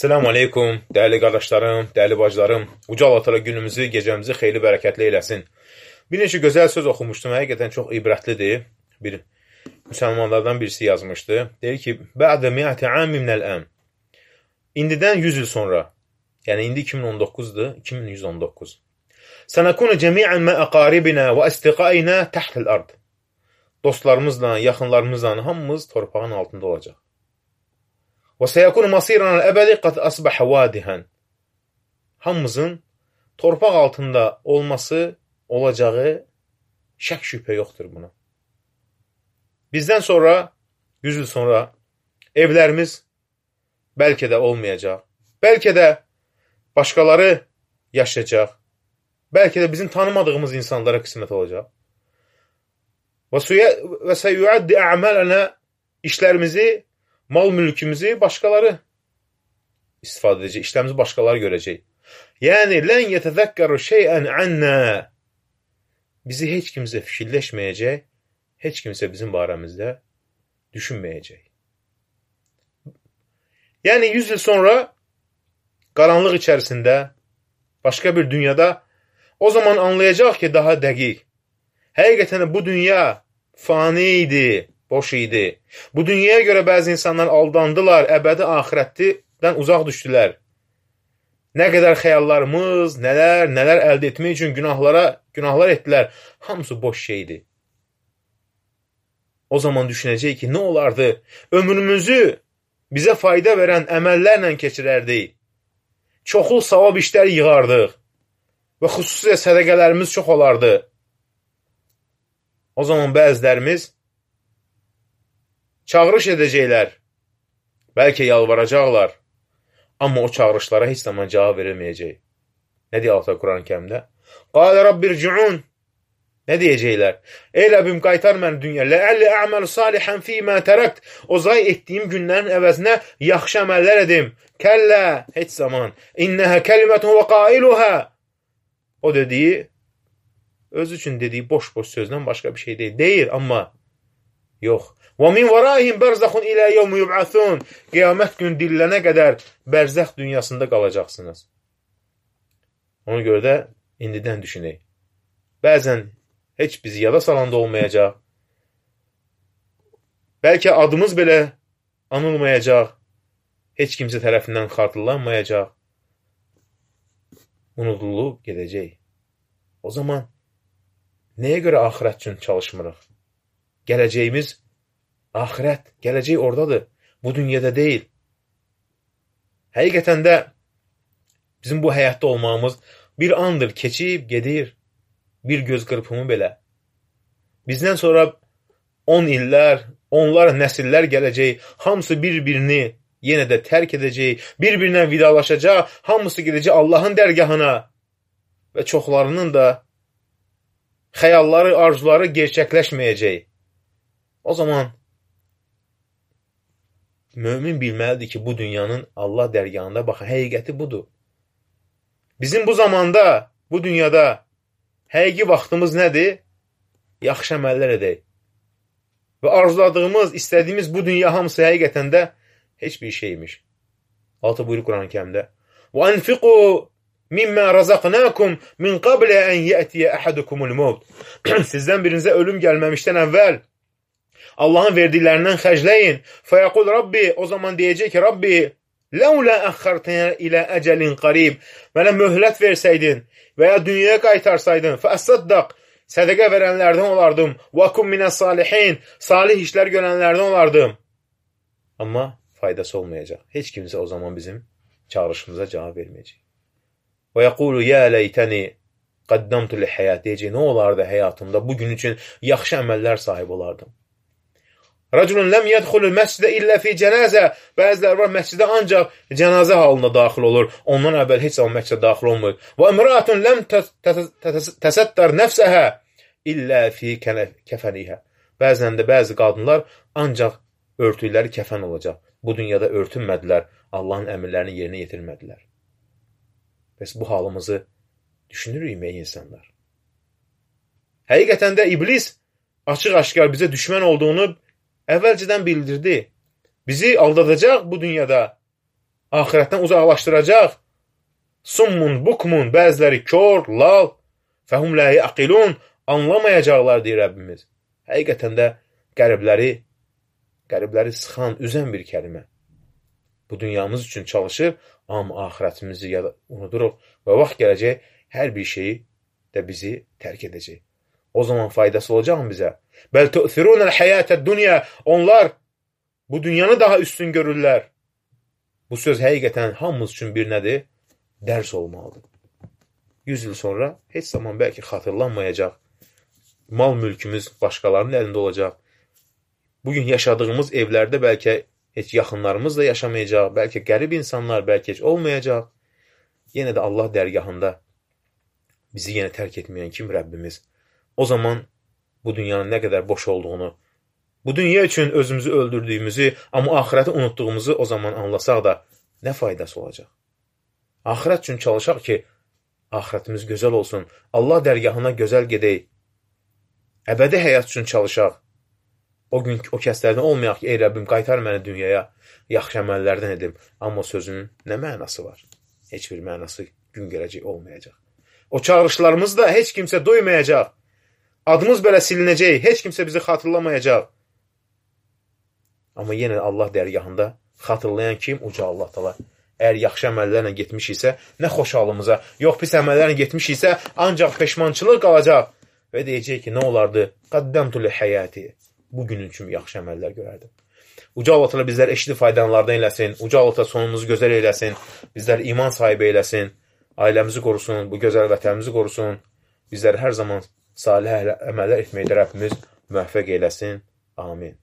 Selamun Aleyküm, değerli qardaşlarım, değerli bacılarım. Uca Allah Teala günümüzü, gecəmizi xeyli bərəkətli eləsin. Bir neçə gözəl söz oxumuştum, həqiqətən çox ibrətlidir. Bir müsəlmanlardan birisi yazmışdı. Deyir ki, Bə'də mi'əti əm minəl-əm. İndidən 100 il sonra, yəni indi 2019-dur, 2119. Sənəkunu cəmiən mə əqaribinə və əstiqainə təhtil ard. Dostlarımızla, yaxınlarımızla hamımız torpağın altında olacaq. Və səyəkunu masiranəl əbədi qad əsbəhə vadihən. Hamımızın torpaq altında olması, olacağı şək şübhə yoxdur buna. Bizdən sonra, 100 il sonra evlərimiz bəlkə də olmayacaq. Bəlkə də başqaları yaşayacaq. Bəlkə də bizim tanımadığımız insanlara qismət olacaq. Və səyyuəddi ə'mələnə işlərimizi, mal-mülkümüzü başqaları istifadə edəcək, işlərimizi başqaları görəcək. Yəni, lən yətəzəkkəru şeyən ənnə. Bizi heç kimsə fikirləşməyəcək, heç kimsə bizim barəmizdə düşünməyəcək. Yəni, 100 il sonra qaranlıq içərisində, başqa bir dünyada o zaman anlayacaq ki, daha dəqiq. Həqiqətən bu dünya fani idi, boş idi. Bu dünyaya görə bəzi insanlar aldandılar, əbədi axirətdən uzaq düşdülər. Nə qədər xəyallarımız, nələr əldə etmək üçün günahlar etdilər. Hamısı boş şeydir. O zaman düşünəcək ki, nə olardı? Ömrümüzü bizə fayda verən əməllərlə keçirərdik. Çoxlu savab işlər yığardıq və xüsusilə sədəqələrimiz çox olardı. O zaman bəzilərimiz çağırış edəcəklər, bəlkə yalvaracaqlar, amma o çağırışlara heç zaman cavab verilməyəcək. Nə deyir Allah Quran-ı Kərimdə? Qalə Rabbirci'un. Nə deyəcəklər? Ey Rəbbim, qaytar məni dünya. Ləəlli əməl salihən fīmə tərəkt. O zay etdiyim günlərin əvəzinə yaxşı əməllər edim. Kəllə, heç zaman. İnnəhə kəlimətun və qailuhə. O dediyi, öz üçün dediyi boş-boş sözdən başqa bir şey deyil. Deyir, amma yox. Və min vəraihim bərzəxun ilə yevmi yub'athun. Qiyamət gün dillənə qədər bərzəx dünyasında qalacaqsınız. Ona görə də indidən düşünək. Bəzən heç bizi yada salanda olmayacaq. Bəlkə adımız belə anılmayacaq. Heç kimsə tərəfindən xatırlanmayacaq. Unudulub gedəcək. O zaman nəyə görə axirət üçün çalışmırıq? Gələcəyimiz axirət, gələcək oradadır. Bu dünyada deyil. Həqiqətən də bizim bu həyatda olmağımız bir andır, keçib, gedir. Bir göz qırpımı belə. Bizdən sonra 10 illər, onlar nəsillər gələcək. Hamısı bir-birini yenə də tərk edəcək. Bir-birindən vidalaşacaq. Hamısı gedəcək Allahın dərgahına. Və çoxlarının da xəyalları, arzuları gerçəkləşməyəcək. O zaman mömin bilməlidir ki, bu dünyanın Allah dərgahında baxın, həqiqəti budur. Bizim bu zamanda, bu dünyada həqiqi vaxtımız nədir? Yaxşı əməllər edək. Və arzuladığımız, istədiyimiz bu dünya hamısı həqiqətən də heç bir şeymiş. Altı buyurur Quran-ı Kərimdə. وَاَنْفِقُوا مِمَّا رَزَقْنَاكُمْ مِنْ قَبْلَ أَنْ يَأْتِيَ أَحَدُكُمُ الْمَوْتِ. Sizdən birinizə ölüm gəlməmişdən əvvəl Allahın verdiklərindən xərcləyin. فَيَقُلْ Rabbi, o zaman deyəcək ki, Rabbi, لَوْلَا أَخَّرْتَنَا إِلَى أَجَلٍ قَرِيبٍ. Mənə möhlət versəydin və ya dünyaya qaytarsaydın, فَأَصَّدَّقْ, sədəqə verənlərdən olardım. وَكُمْ مِنَ الصَّالِحِينَ, salih işlər görənlərdən olardım. Amma faydası olmayacaq. Heç kimsə o zaman bizim çağrışımıza cavab verməyəcək. وَيَقُولُ يَا لَيْتَنِي قَدَّمْتُ لِحَيَاتِ, deyəcək, nə olardı həyatımda, bugün üçün yaxşı əməllər sahibi olardım. Rəculun ləm yədxulul məscidə illə fi cənazə. Bəziləri var, məscidə ancaq cənazə halında daxil olur. Ondan əvvəl heç zaman məscidə daxil olmur. Və imraatun ləm təsəttər nəfsəhə illə fi kəfənihə. Bəzən də bəzi qadınlar ancaq örtükləri kəfən olacaq. Bu dünyada örtünmədilər. Allahın əmrlərini yerinə yetirmədilər. Bəs bu halımızı düşünürük ey insanlar? Həqiqətən də iblis açıq-aşkar bizə düşmən olduğunu əvvəlcədən bildirdi. Bizi aldadacaq bu dünyada. axirətdən uzaqlaşdıracaq. Summun, bukmun, bəziləri kör, lal, fəhum la yaqilun, anlamayacaqlar deyir Rəbbimiz. Həqiqətən də qəribləri sıxan, üzən bir kəlmə. Bu dünyamız üçün çalışır, amma axirətimizi unuduruq və vaxt gələcək, hər bir şeyi də bizi tərk edəcək. O zaman faydası olacaq mı bizə? Bəl tu'thirunəl həyətəd dünya. Onlar bu dünyanı daha üstün görürlər. Bu söz həqiqətən hamımız üçün bir nədir? Dərs olmalıdır. 100 il sonra heç zaman bəlkə xatırlanmayacaq. Mal mülkümüz başqalarının əlində olacaq. Bugün yaşadığımız evlərdə bəlkə heç yaxınlarımız da yaşamayacaq. Bəlkə qərib insanlar, bəlkə heç olmayacaq. Yenə də Allah dərgahında bizi yenə tərk etməyən kim Rəbbimiz? O zaman bu dünyanın nə qədər boş olduğunu, bu dünya üçün özümüzü öldürdüyümüzü, amma axirəti unutduğumuzu o zaman anlasaq da nə faydası olacaq? Axirət üçün çalışaq ki, axirətimiz gözəl olsun, Allah dərgahına gözəl gedək, əbədi həyat üçün çalışaq. O gün o kəslərdən olmayaq ki, ey Rəbbim, qaytar məni dünyaya, yaxşı əməllərdən edim. Amma sözünün nə mənası var? Heç bir mənası gün gələcək olmayacaq. O çağırışlarımız da heç kimsə duymayacaq. Adımız belə silinəcək, heç kimsə bizi xatırlamayacaq. Amma yenə Allah dərgahında xatırlayan kim? Uca Allah Taala. Əgər yaxşı əməllərlə getmişiksə, nə xoş halımıza, yox pis əməllərlə getmişiksə, ancaq peşmançılıq qalacaq. Və deyəcək ki, nə olardı? Qaddamtu li həyati. Bugünün üçün yaxşı əməllər görərdim. Uca Allah Taala bizlər eşidib faydalanlardan eləsin. Uca Allah Taala sonumuzu gözəl eləsin. Bizlər iman sahibi eləsin. Ailəmizi qorusun, bu gözəl vətənimizi qorusun. Bizləri hər zaman salih əməllər etməkdə Rəbbimiz müvəffəq eləsin. Amin.